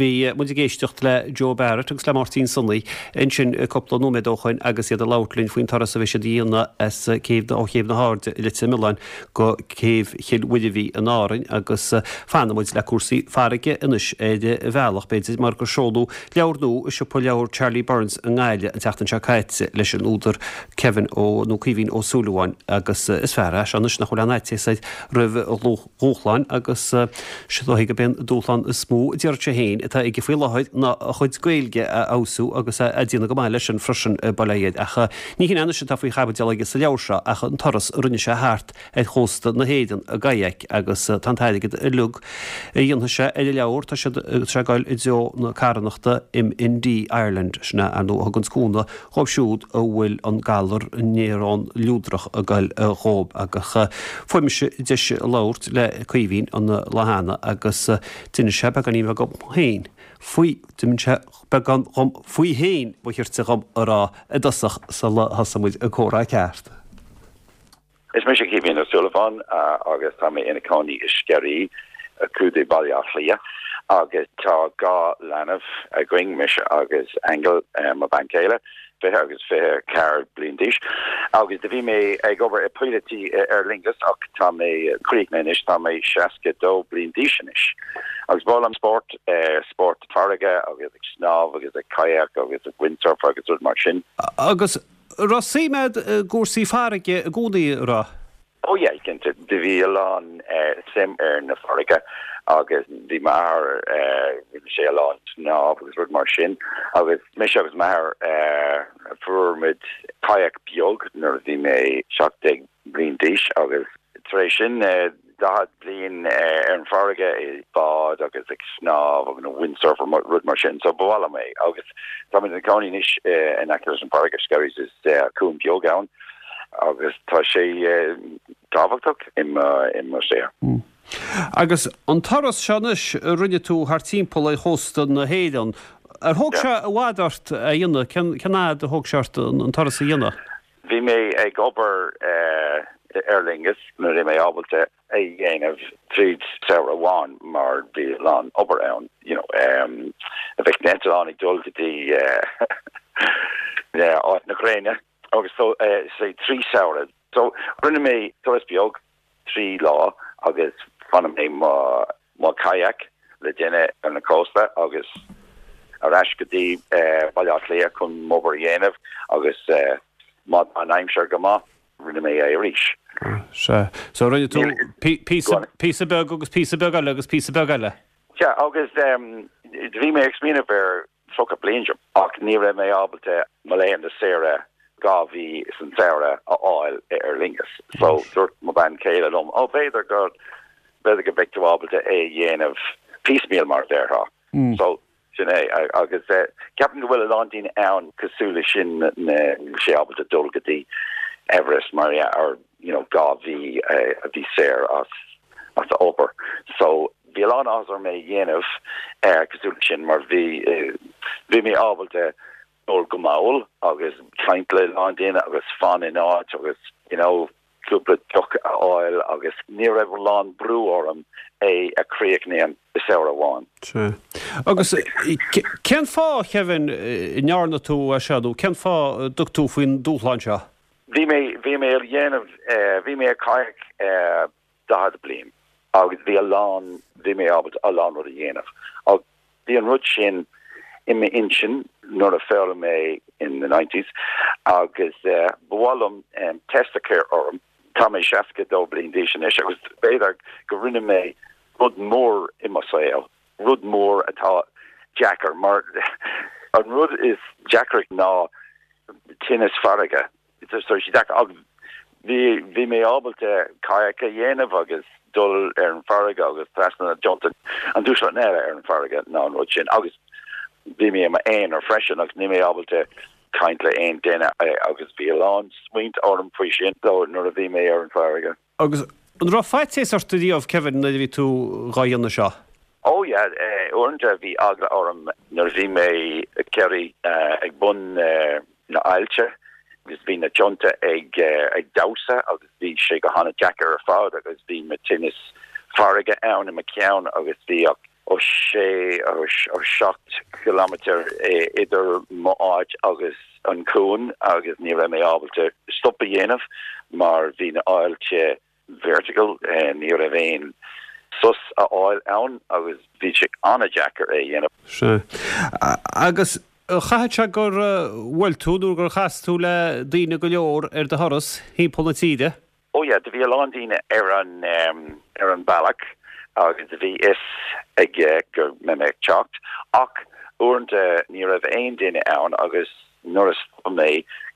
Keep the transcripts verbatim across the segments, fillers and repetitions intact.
Bhí muid ag éisteacht le Joe Barrett agus le Máirtín Sonaí ansin cúpla nóiméad ó shin agus iad ag labhairt linn faoin turas a bhí siad a dhéanamh as céibh ó Chéibh na hAirde i Leitir Mealláin go céibh Chill Mhuirbhigh in Árainn agus fanfaidh muid le cúrsaí farraige anois ar bhealach b'fhéidir mar gur seoladh leabhar nua i siopa leabhar Charlie Burns i nGaillimh an tseachtain seo caite leis an údar Kevin ó nó Caoimhín Ó Súilleabháin agus is fear é seo anois nach bhfuil aon fhaitíos air roimh dhúshláin agus is dóigh gurb é an dúshlán is mó a deir sé féin atá aige faoi láthair ná a chuid Gaeilge a fheabhsú agus a déanamh go maith leis sin freisin bail ó Dhia air. Ach ní hin anois atá faoi chaibidil aige sa leabhar seo ach an turas a rinne sé thart ar chósta na hÉireann i gkayak agus tá an t-airgead uilig a dhéanfaidh sé ar an leabhar tá sé ag dul i dtreo na carthanachta MND Ireland sin ar ndóigh a thugann cúnamh dhóibh siúd a bhfuil an galar néarón luadrach ag goil dhóibh agus fuair mise deis labhairt le Caoimhín an lá cheana agus d'inis sé beagáinín beag dhom féin faoi d'inis sé beagán dhom faoi féin ba chirte dhom a rá i dtosach sula thosaigh muid an comhrá ceart. Is mise Caoimhín Ó Súilleabháin agus tá mé ina cónaí i Sceirí Contae Bhaile Átha Cliath agus tá dhá leanbh againn mise agus Aingeal mo bhean chéile fiche agus fiche ceathair bliain d'aois. agus do bhí mé ag obair i píolótaí Aer Lingus ach tá mé críochnaithe anois tá mé seasca dó bliain d'aois anois. Agus b'áil liom spórt spórt farraige agus ag snámh agus ag kayak agus ag windsurf agus rud mar sin. Agus raibh suim agat i gcúrsaí farraige i gcónaí raibh? Oh yeah, cinnte do bhí a lán suim ar na farraige agus bhí m'athair rinne sé a lán snámh agus rud mar sin agus mise agus m'athair fuair muid kayak beag nuair a bhí mé seacht déag bliain d'aois agus tar éis sin daichead bliain ar an farraige i bád agus ag snámh agus na windsurfer rud mar sin so b'áil liom é agus tá mé i gcónaí anois in aice leis an farraige Skerries is cuan beag ann agus tá sé tábhachtach i mo shaol. Agus an turas seo anois a rinne tú thar timpeall ar chósta na hÉireann, ar thóg sé i bhfad ort a dhéanamh cén fhad a thóg sé ort an turas a dhéanamh? Bhí mé ag obair Aer Lingus nuair bhí mé ábalta é dhéanamh tríd samhradh amháin mar bhí lán obair ann you know um, a bheith eitleán ag dul go dtí áit na gréine agus so uh, sé trí samhradh. So rinne mé turas beag trí lá agus fanna mé mo mo kayak le duine ar na cósta agus ar ais go dtí uh, Baile Átha Cliath chun m'obair a dhéanamh agus uh, má an aimsir go maith rinne mé é arís. Se so rinne tú píosa beag agus píosa beag eile agus píosa beag eile. Ja agus um, bhí mé ag smaoineamh ar tríocha bliain ach ní raibh mé ábalta mo laethanta saoire dhá mhí san samhradh a fháil Aer Lingus. So dúirt mo bhean chéile liom ó b'fhéidir go b'fhéidir go mbeidh tú ábalta é dhéanamh piecemeal mar a déarfá. Mm. So sin é agus uh, ceapaim go bhfuil a lán daoine ann cosúil leis sin sé ábalta dul go dtí Everest mar yeah, or you know dhá mhí uh, a bhí saor as as a obair. So bhí lán as mé dhéanamh uh, cosúil sin mar bhí uh, bhí mé ábalta dul go mall agus caint le lán daoine agus fan in áit agus you know cúpla deoch a fháil agus ní raibh lán brú orm é a chríochnú i samhradh amháin. Agus cén fáth Kevin ndearna tú é seo nó cén fáth dtug tú faoin dúshlán seo? Bhí mé bhí mé ag dhéanamh bhí mé ag kayak daichead bliain agus bhí a lán bhí mé ábalta a lán rud a dhéanamh. Ach bhí an rud sin i m'intinn nuair a foghlaim mé in the nineties agus uh, ba mhaith liom um, test a chur orm tá mé seasca dó bliain d'aois anois agus b'fhéidir go rinne mé rud mór i mo saol rud mór atá deacair mar an rud is deacra ná tinneas farraige so sé deacair bhí bhí mé ábalta kayak a dhéanamh agus dul ar an farraige agus trasna na an dúshlán eile ar an farraige ná an rud sin agus bhí mé m'aonar freisin agus ní mé ábalta caint le aon duine agus bhí lán smaointe orm faoi sin nuair a bhí mé ar an farraige. Agus an raibh faitíos ort riamh Kevin nuair a bhí tú dhá dhéanamh seo? Ó yeah, uaireanta bhí eagla orm nuair a bhí mé Kerry ag bun na haillte agus bhí na tonnta ag ag damhsa agus bhí sé go han-deacair ar fad agus bhí mo tinneas farraige ann i mo cheann agus bhí ach ó sé ó seacht kilometer idir m'áit agus an cuan agus ní raibh mé ábalta stop a dhéanamh mar bhí na aillte vertical ní raibh aon sos a fháil ann agus bhí sé an-deacair é dhéanamh. Sea. Agus chaithfeadh sé gur bhuail tú nó gur chas tú le daoine go leor ar do thuras thimpeall na tíre? Oh yeah, do bhí a lán daoine ar an um, ar an bealach agus bhí fhios aige go mbeidh mé ag teacht ach uaireanta ní raibh aon duine ann agus nuair a stop mé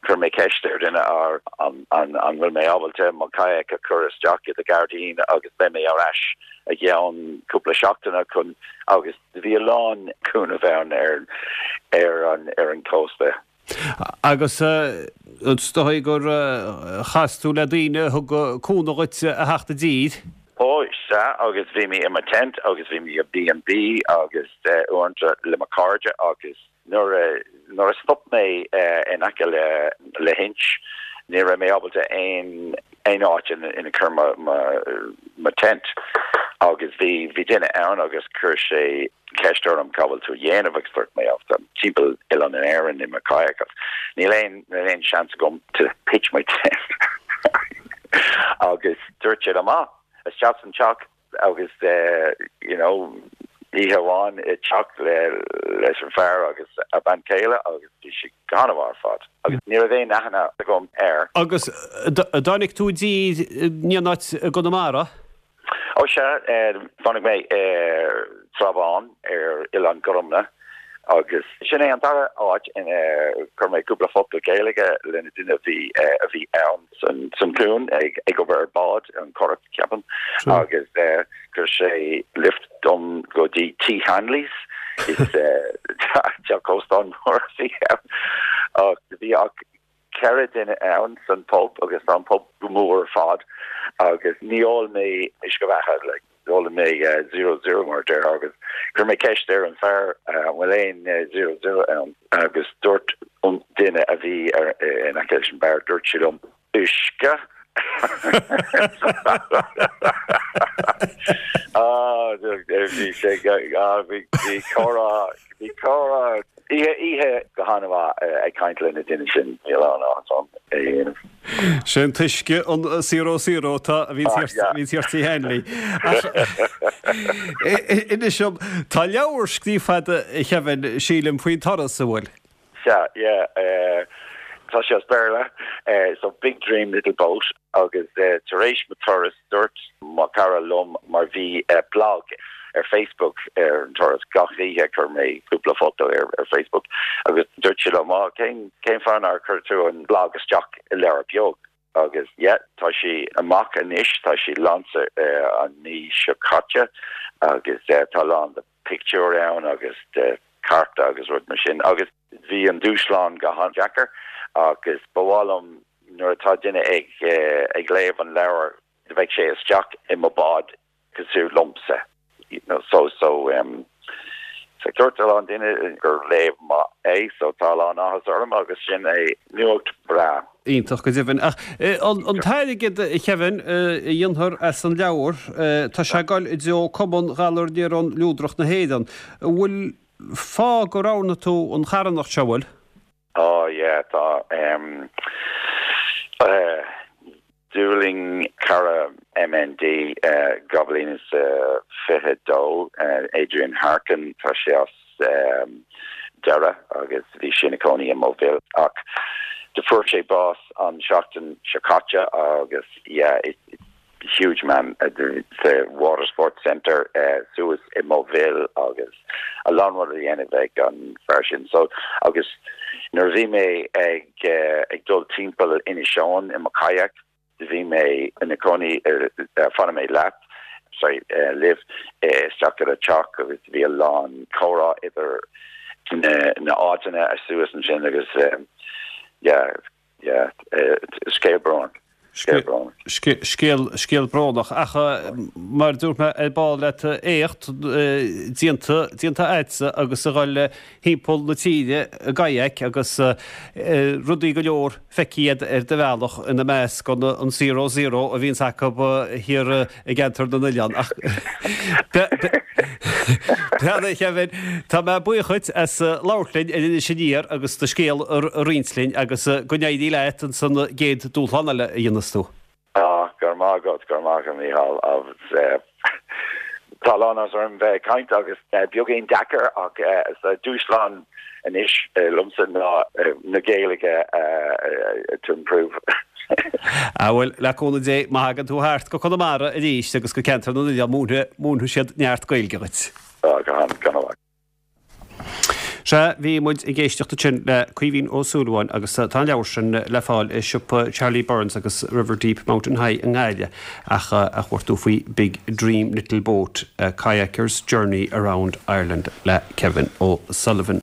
chuir mé ceist ar duine ar an an an bhfuil mé ábalta mo kayak a chur isteach i do gairdín agus beidh mé ar ais i gceann cúpla seachtaine chun agus bhí a lán cúnamh ann ar ar an ar an cósta. Agus is dóigh gur chas tú le daoine thug cúnamh duit a theacht i dtír? Ó sea agus bhí mé i mo tent agus bhí mé i B and B agus uaireanta le mo cairde agus nuair nuair a stop mé in aice le le hInch ní raibh mé ábalta aon aon áit ina ina chur mo mo mo tent agus bhí bhí duine ann agus chuir sé ceist orm cá bhfuil tú dhéanamh agus dúirt mé timpeall oileán in Éirinn i mo kayak níl aon níl aon seans agam to pitch my tent agus dúirt sé amach isteach san teach agus uh, you know oíche amháin i teach le leis an fear agus a bean chéile agus bhí sé an-mhaith ar fad agus ní raibh aon aithne agam air. Agus tháinig tú dtí an áit i gConamara? Ó sea tháinig mé ar Trá Bháin ar Oileán Gorumna agus sin é an dara áit ina chuir mé cúpla focal Gaeilge lena duine bhí a bhí ann san san cuan ag ag obair ar bád an currach ceapaim agus chuir sé lift dom go dtí T Hanley's is teach óstán mór ach bhí ach ceithre duine ann san pub agus an pub go mór ar fad agus ní ól mé uisce beatha le d'ól mé zero zero mar deir agus chuir mé ceist ar an fear bhfuil aon zero zero ann agus dúirt an duine a bhí ar in aice leis an beár dúirt sé liom uisce Ah bhí sé bhí comhrá bhí comhrá oíche oíche go han-mhaith ag caint le na daoine sin níl ann ann é dhéanamh. Sé an t-uisce an zero zero tá a bhí bhí T Hanley. Inis dom tá leabhar scríofa agat a Kevin sílim faoin turas an bhfuil. Sea, yeah, uh, tá sé as Béarla, uh, so Big Dream Little Boat agus uh, tar éis mo turas dúirt mo cara liom mar bhí uh, blog ar Facebook ar an turas gach oíche chuir mé cúpla foto ar, ar Facebook agus dúirt sé liom ah, cén cén fáth nár chuir tú an blog isteach i leabhar beag agus yeah, tá sé amach anois tá sé lainse uh, an mí seo caite agus uh, tá lán de pictiúr ann agus de cárta agus rud mar sin agus bhí an dúshlán go han-deacair agus ba mhaith liom nuair atá duine ag uh, ag léamh an leabhar bheadh sé isteach i mo bád cosúil liomsa you know, so so um, so dúirt a lán duine gur léamh maith é so tá lán áthas orm agus sin é nuacht breá. Iontach go deimhin ach an t-airgead a Kevin a dhéanfar as an leabhar tá sé ag dul i dtreo Cumann Ghalar Néarón Luadrach na hÉireann. Bhfuil fáth go roghnaigh tú an charthanacht seo bhfuil? Oh yeah tá um, uh, D'fhulaing cara MND uh, dhá bhliain is uh, fiche dó uh, Adrian Harkin tá sé as um, Doire agus bhí sé ina chónaí i Moville ach do fuair sé bás an seachtain seo caite agus yeah, it, it, huge man at the, the Water Sports Centre uh, suas i Moville agus a lán rud a dhéanamh ag an fear sin so agus nuair bhí mé ag uh, ag dul timpeall Inis Eoghain i mo kayak bhí mé ina cónaí ar fanfaidh mé leat sorry uh, libh isteach ar a teach agus bhí a lán comhrá idir na na áiteanna a suas ansin agus um, yeah yeah uh, scéal bróin. Scéal scéal brónach ach mar dúirt mé ar ball leat éacht déanta déanta agatsa agus a dhul thimpeall na tíre i gkayak agus rudaí go leor feicthe agat ar do bhealach ina measc an an zero zero a bhíonns acu thiar i gceantar na n-oileán ach Beannacht Kevin, Tá mé buíoch duit as labhairt linn ar Inis Aniar agus do scéal a roinnt linn agus go n-éirí leat an gcéad dúshlán eile a dhéanfas tú. Ah, go raibh maith agat go raibh maith agat Mícheál agus tá lúcháir orm bheith ag caint agus beagáinín deacair ach sa dúshlán anois liomsa ná na Gaeilge to improve. A bhuel le cúnamh Dé má thagann tú thart go Conamara arís agus go ceantar na n-oileán múinfidh siad neart Gaeilge duit. Gan Sea bhí muid ag éisteacht ansin le Caoimhín Ó Súilleabháin agus tá an leabhar sin le fáil i siopa Charlie Burns agus River Deep Mountain High i nGaillimh ach a chuartú faoi Big Dream Little Boat, a Kayaker's Journey Around Ireland le Kevin O'Sullivan.